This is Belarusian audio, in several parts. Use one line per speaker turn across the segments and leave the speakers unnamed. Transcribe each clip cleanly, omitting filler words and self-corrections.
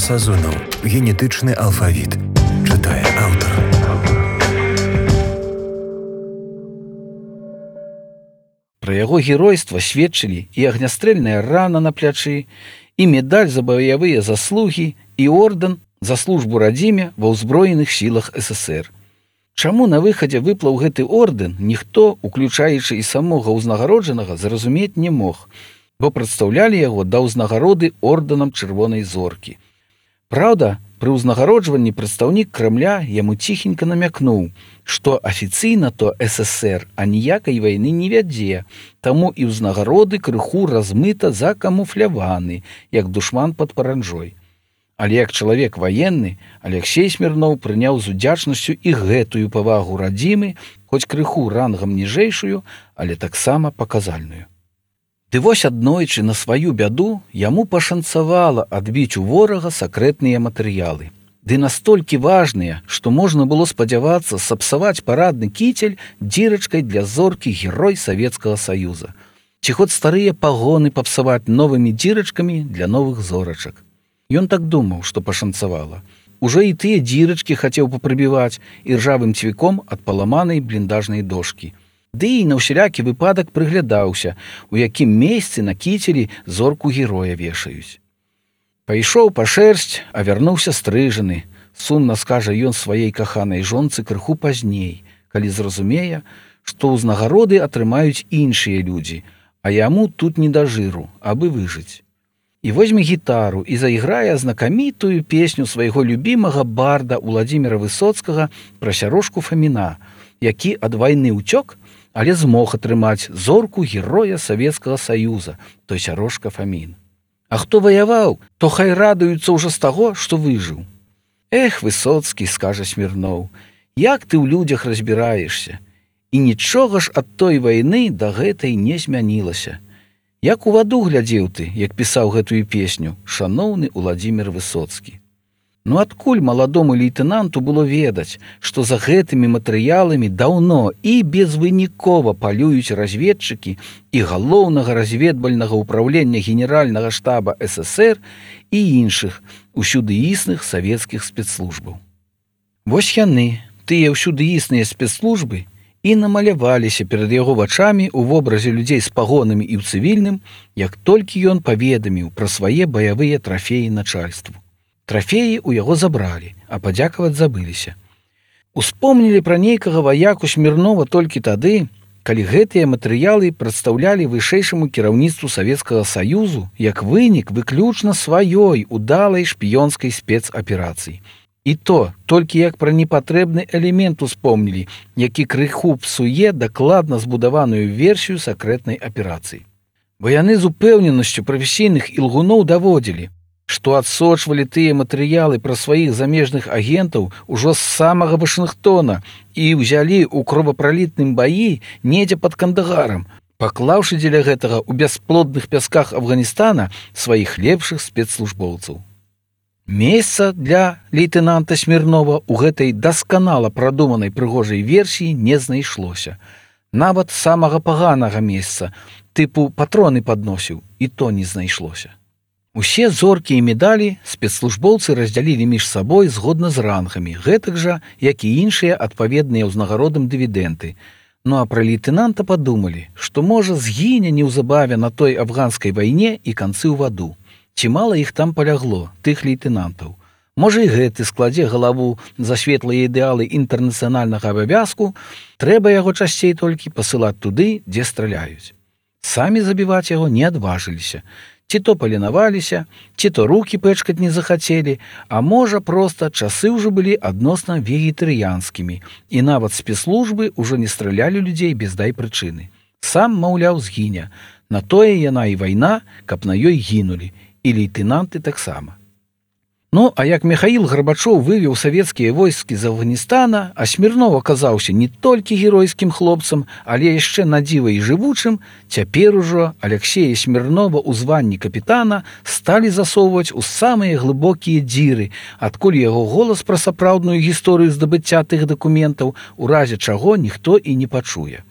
Сазонаў. Генетычны алфавіт. Чытае аўтар.
Пра яго геройства сведчылі і агнястрэльная рана на плячы, і медаль за баявыя заслугі, і ордэн за службу радзіме ва ўзброеных сілах СССР. Чаму на выхадзе выплаў гэты ордэн, ніхто, уключаючы і самога ўзнагароджанага, зразумець не мог, бо прадстаўлялі яго да ўзнагароды ордэнам Чырвонай зоркі. Праўда, пры ўзнагароджванні прадстаўнік Крамля яму ціхенька намякнуў, што афіцыйна то СССР аніякай вайны не вядзе, таму і ўзнагароды крыху размыта закамуфляваны, як душман пад паранжой. Але як чалавек ваенны, Аляксей Смірноў прыняў з удзячнасцю і гэтую павагу радзімы, хоць крыху рангам ніжэйшую, але таксама паказальную. Ды вось аднойчы на сваю бяду яму пашанцавала адбіць у ворага сакрэтныя матэрыялы. Ды настолькі важныя, што можна было спадзявацца сапсаваць парадны кіцель дзірачкай для зоркі герой Савецкага Саюза. Ці хоць старыя пагоны папсаваць новымі дзірачкамі для новых зорачак. Ён так думаў, што пашанцавала. Ужо і тыя дзірачкі хацеў папрыбіваць і ржавым цвіком ад паламанай бліндажнай дошкі. Ды і на ўсялякі выпадак прыглядаўся, у якім месцы на кіцелі зорку героя вешаюць. Пайшоў па шэрсць, а вярнуўся стрыжаны. Сумна скажа ён сваёй каханай жонцы крыху пазней, калі зразумее, што ўзнагароды атрымаюць іншыя людзі, а яму тут не да жыру, абы выжыць. І возьме гітару і зайграе знакамітую песню свайго любімага барда Уладзіміра Высоцкага пра Сярошку Фаміна, які ад вайны ўцёк, але змог атрымаць зорку героя Савецкага Саюза, той Сярошка Фамін. А хто ваяваў, то хай радуюцца ўжо з таго, што выжыў. Эх, Высоцкі, скажа Смірноў, як ты ў людзях разбіраешся? І нічога ж ад той вайны да гэтай не змянілася. Як у ваду глядзеў ты, як пісаў гэтую песню, шаноўны Уладзімір Высоцкі. Ну адкуль маладому лейтэнанту было ведаць, што за гэтымі матэрыяламі даўно і безвынікова палююць разведчыкі і галоўнага разведвальнага ўпраўлення генеральнага штаба СССР і іншых усюды існых савецкіх спецслужбаў. Вось яны, тыя ўсюды існыя спецслужбы, і намаляваліся перад яго вачамі ў вобразе людзей з пагонамі і ў цывільным, як толькі ён паведаміў пра свае баявыя трафеі начальству. Трафеі ў яго забралі, а падзякаваць забыліся. Успомнілі пра нейкага ваяку Смірнова толькі тады, калі гэтыя матэрыялы прадстаўлялі вышэйшаму кіраўніцтву Савецкага Саюзу як вынік выключна сваёй удалай шпіёнскай спецаперацыі. І то толькі як пра непатрэбны элемент успомнілі, які крыху псуе дакладна збудаваную версію сакрэтнай аперацыі. Бо яны з упэўненасцю прафесійных ілгуноў даводзілі, што адсочвалі тыя матэрыялы пра сваіх замежных агентаў ужо з самага Вашынгтона і ўзялі ў кровапралітным баі недзе пад Кандагарам, паклаўшы дзеля гэтага ў бясплодных пясках Афганістана сваіх лепшых спецслужбоўцаў. Месца для лейтэнанта Смірнова ў гэтай дасканала прадуманай прыгожай версіі не знайшлося. Нават самага паганага месца, тыпу патроны падносіў, і то не знайшлося. Усе зоркі і медалі спецслужбоўцы раздзялілі між сабой згодна з рангамі, гэтак жа, як і іншыя адпаведныя ўзнагародам дывідэнты. Ну а пра лейтэнанта падумалі, што можа згіне неўзабаве на той афганскай вайне і канцы ў ваду. Ці мала іх там палягло, тых лейтэнантаў. Можа і гэты складзе галаву за светлыя ідэалы інтэрнацыянальнага абавязку, трэба яго часцей толькі пасылаць туды, дзе страляюць. Самі забіваць яго не адважыліся. Ці то паленаваліся, ці то рукі пэчкаць не захацелі, а можа проста часы ўжо былі адносна вегетарыянскімі, і нават спецслужбы ўжо не стралялі людзей без дай прычыны. Сам, маўляў, згіне. На тое яна і вайна, каб на ёй гінулі, і лейтэнанты таксама. Ну, а як Міхаіл Гарбачоў вывеў савецкія войскі з Афганістана, а Смірнов аказаўся не толькі геройскім хлопцам, але яшчэ надзіва і жывучым, цяпер ужо Аляксея Смірнова ў званні капітана сталі засоўваць у самыя глыбокія дзіры, адкуль яго голас пра сапраўдную гісторыю здабыцця тых дакументаў у разе чаго ніхто і не пачуе.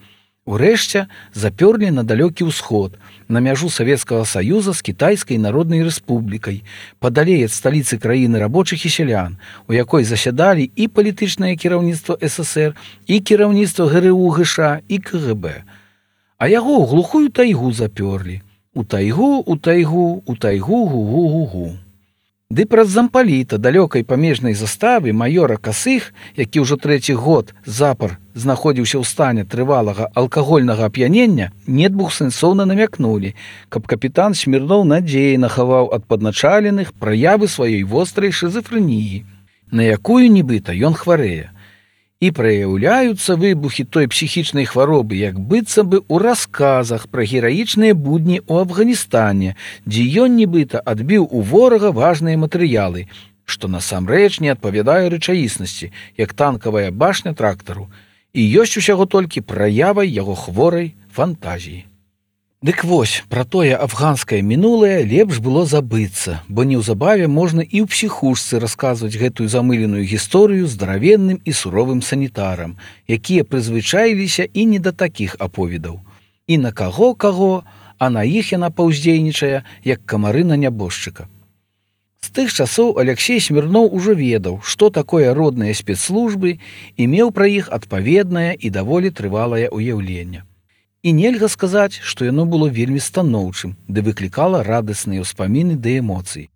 Урэшце запёрлі на далёкі ўсход, на мяжу Савецкага Саюза з Кітайскай Народнай Рэспублікай, падалей ад сталіцы краіны рабочых і сялян, у якой засядалі і палітычнае кіраўніцтва ССР, і кіраўніцтва ГРУ ГШ, і КГБ. А яго ў глухую тайгу запёрлі. У тайгу, гу-гу-гу-гу. Ды праз зампаліта далёкай памежнай заставы маёра Касых, які ўжо 3-й год запар знаходзіўся ў стане трывалага алкагольнага ап'янення, недвухсэнсоўна намякнулі, каб капітан Смірноў надзейна хаваў ад падначаленых праявы сваёй вострай шызафрэніі, на якую нібыта ён хварэе. І праяўляюцца выбухі той псіхічнай хваробы, як быццам бы ў расказах пра гераічныя будні ў Афганістане, дзе ён нібыта адбіў у ворага важныя матэрыялы, што насамрэч не адпавядае рэчаіснасці, як танкавая башня трактару, і ёсць усяго толькі праявай яго хворай фантазіі. Дык вось, пра тое афганскае мінулае лепш было забыцца, бо неўзабаве можна і ў псіхушцы расказваць гэтую замыленую гісторыю здаравенным і суровым санітарам, якія прызвычаіліся і не да такіх аповедаў. І на каго, а на іх яна паўздзейнічае, як камары на нябожчыка. З тых часоў Аляксей Смірноў ужо ведаў, што такое родныя спецслужбы, і меў пра іх адпаведнае і даволі трывалае ўяўленне. І нельга сказаць, што яно было вельмі станоўчым, ды выклікала радасныя ўспаміны ды эмоцыі.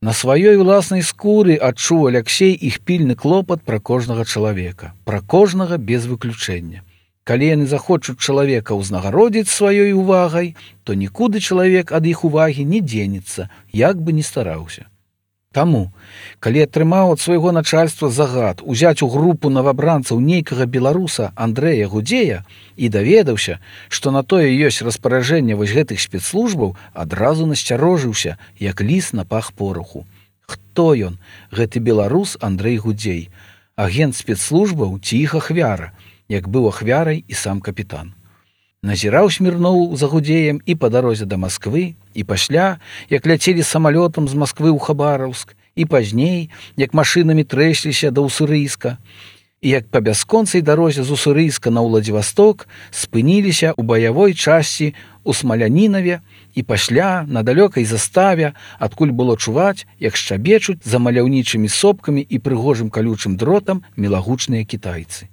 На сваёй уласнай скуры адчуў Аляксей іх пільны клопат пра кожнага чалавека, пра кожнага без выключэння. Калі яны захочуць чалавека ўзнагародзіць сваёй увагай, то нікуды чалавек ад іх увагі не дзенецца, як бы ні стараўся. Таму, калі атрымаў ад свайго начальства загад узяць у групу новабранцаў нейкага беларуса Андрэя Гудзея і даведаўся, што на тое ёсць распараджэнне вось гэтых спецслужбаў, адразу насцярожыўся, як ліс на пах пораху. Хто ён, гэты беларус Андрэй Гудзей? Агент спецслужбаў ці іх ахвяра, як быў ахвярай і сам капітан. Назіраў Смірноў за Гудзеем і па дарозе да Масквы, і пасля, як ляцелі самалётам з Масквы ў Хабараўск, і пазней, як машынамі трэсліся да Уссурыйска, і як па бясконцай дарозе з Уссурыйска на Ўладзівасток спыніліся ў баявой часці ў Смалянінаве, і пасля на далёкай заставе, адкуль было чуваць, як шчабечуць за маляўнічымі сопкамі і прыгожым калючым дротам мілагучныя кітайцы.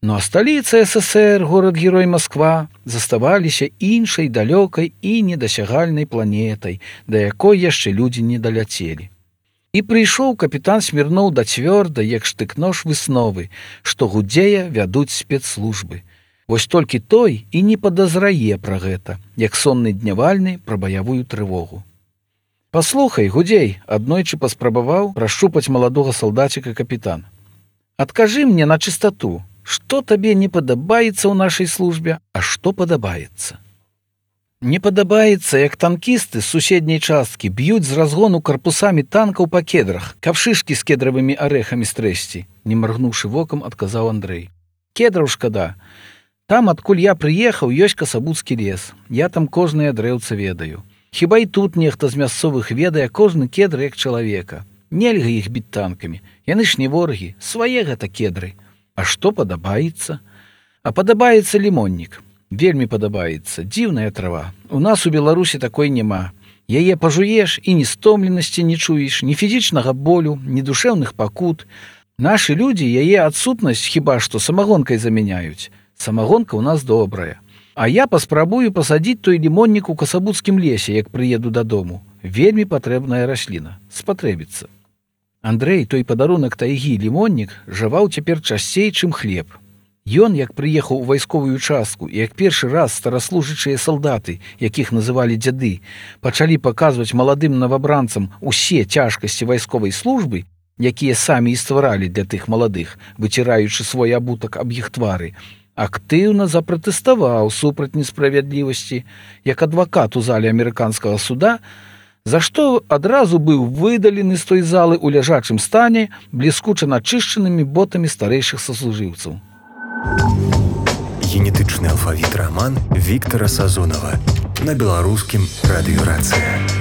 Ну а сталіца ССР, горад-герой Масква, заставаліся іншай далёкай і недасягальнай планетай, да якой яшчэ людзі не даляцелі. І прыйшоў капітан Смірноў да цвёрдай, як штык-нож высновы, што Гудзея вядуць спецслужбы. Вось толькі той і не падазрае пра гэта, як сонны днявальны пра баявую трывогу. «Паслухай, Гудзей», аднойчы паспрабаваў прашчупаць маладога салдаціка капітан. «Адкажы мне на чыстату, што табе не падабаецца ў нашай службе, а што падабаецца?» «Не падабаецца, як танкісты з суседняй часткі б'юць з разгону карпусамі танкаў па кедрах, каб шышкі з кедравымі арэхамі стрэсці», не маргнуўшы вокам, адказаў Андрэй. «Кедраў шкада. Там, адкуль я прыехаў, ёсць Касабуцкі лес. Я там кожнае дрэўца ведаю. Хіба і тут нехта з мясцовых ведае кожны кедр як чалавека. Нельга іх біць танкамі. Яны ж не ворагі, свае гэта кедры. А што падабаецца? А падабаецца лімоннік. Вельмі падабаецца. Дзіўная трава. У нас у Беларусі такой няма. Яе пажуеш і ні стомленасці не чуеш, ні фізічнага болю, ні душэўных пакут. Нашы людзі яе адсутнасць хіба што самагонкай замяняюць. Самагонка ў нас добрая. А я паспрабую пасадзіць той лімоннік у Касабуцкім лесе, як прыеду дадому. Вельмі патрэбная расліна. Спатрэбіцца». Андрэй, той падарунак тайгі лімоннік, жаваў цяпер часцей, чым хлеб. Ён, як прыехаў у вайсковую частку, і як першы раз стараслужачыя салдаты, якіх называлі дзяды, пачалі паказваць маладым новабранцам усе цяжкасці вайсковай службы, якія самі і стваралі для тых маладых, выціраючы свой абутак аб іх твары, актыўна запратэставаў супраць несправядлівасці, як адвакат у зале амерыканскага суда, за што адразу быў выдалены з той залы ў ляжачым стане бліскуча начышчанымі ботамі старэйшых саслужыўцаў.
Генетычны алфавіт раман Віктара Сазонава на беларускім радыёрацыя.